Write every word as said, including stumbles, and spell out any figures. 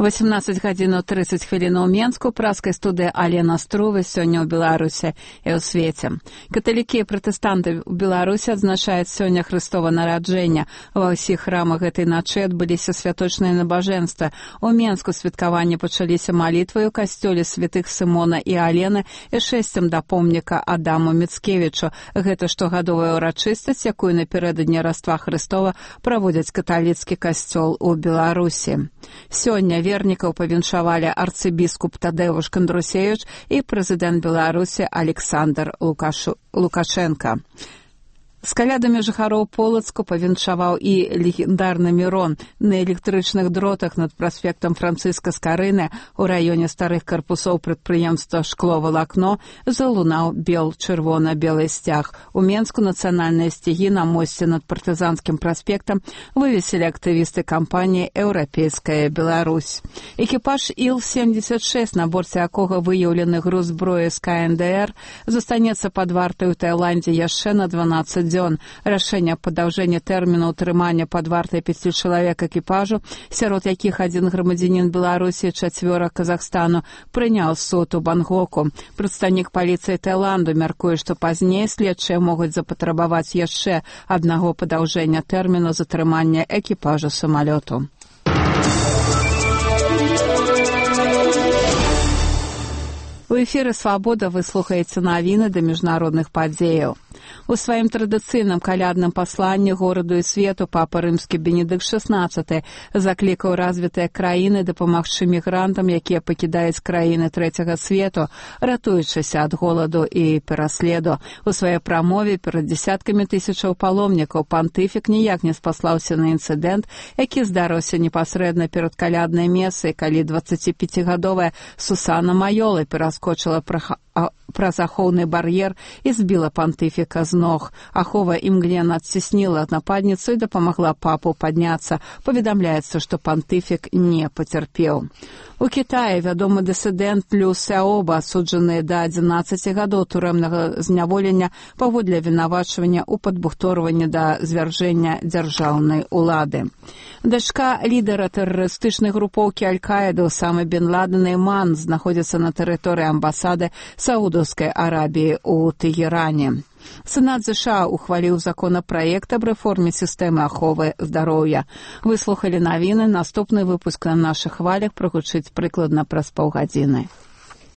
восемнадцать гадзін тридцать хвілін у Менску, праскай студыі Алена Струвы сёння ў Беларусі і ў свеце. Каталікі і пратэстанты ў Беларусі адзначаюць сёння Хрыстова нараджэння. Ва ўсіх храмах гэтай начы адбыліся святочныя набажэнствы. У Менску святкаванні пачаліся малітвай у касцёле святых Сымона і Алены і шэсцем да помніка Адаму Міцкевічу. Гэта штогадовая ўрачыстасць, якую напярэдадні Раства Хрыстова праводзяць каталіцкі касцёл у Беларусі. Сёння вернікаў павіншавалі арцыбіскуп Тадеуш Кандрусевіч і прэзідэнт Беларусі Александр Лукашу... Лукашенко. З калядамі жыхароў Полацку павіншаваў і легендарны Мірон. На электрычных дротах над праспектам Францыска Скарыны ў раёне старых карпусоў прадпрыемства «Шкло-валакно» залунаў бел-чырвона-белы сцяг. У Менску нацыянальныя сцягі на мосце над партызанскім праспектам вывесілі актывісты кампаніі «Еўрапейская Беларусь». Экіпаж Іл семьдесят шесть, на борце якога выяўлены груз зброі з ка эн дэ эр, застанецца пад вартай у Таіландзе яшчэ на дванаццаць дзён. Рашэнне аб падаўжэнні тэрміну ўтрымання пад вартай пяці чалавек экіпажу, сярод якіх адзін грамадзянін Беларусі, чацвёра Казахстану, прыняў суд у Бангоку. Прадстаўнік паліцыі Таіланду мяркуе, што пазней следчыя могуць запатрабаваць яшчэ аднаго падаўжэння тэрміну затрымання экіпажу самалёту. У эфіры «Свабода» вы слухаеце навіны да міжнародных падзеяў. У сваім традыцыйным калядным пасланні гораду і свету папа рымскі Бенедыкт шэснаццаты заклікаў развітыя краіны дапамагчы мігрантам, якія пакідаюць краіны трэцяга свету, ратуючыся ад голаду і пераследу. У сваёй прамове перад дзесяткамі тысячаў паломнікаў пантыфік ніяк не спаслаўся на інцыдэнт, які здарыўся непасрэдна перад каляднай месай, калі дваццаціпяцігадовая Сусана Майола пераскочыла праз ахоўны бар'ер і збіла пантыфіка з ног. Ахова імглена адцісніла нападніцу і дапамагла папу падняцца. Паведамляецца, што пантыфік не пацярпеў. У Кітаі вядомы дысідэнт Лю Сяоба, асуджаны да адзінаццаці гадоў турэмнага зняволення паводле абвінавачвання ў падбухторванні да звяржэння дзяржаўнай улады. Дачка лідара тэрарыстычнай групоўкі Аль-Каіды Усама бен Ладена Іман знаходзіцца на тэрыторыі амбасады Саудаўскай Арабіі ў Тэгеране. Сенат ЗША ухваліў законапраект аб рэформе сістэмы аховы здароўя. Вы слухалі навіны, наступны выпуск на нашых хвалях прагучыць прыкладна праз паўгадзіны.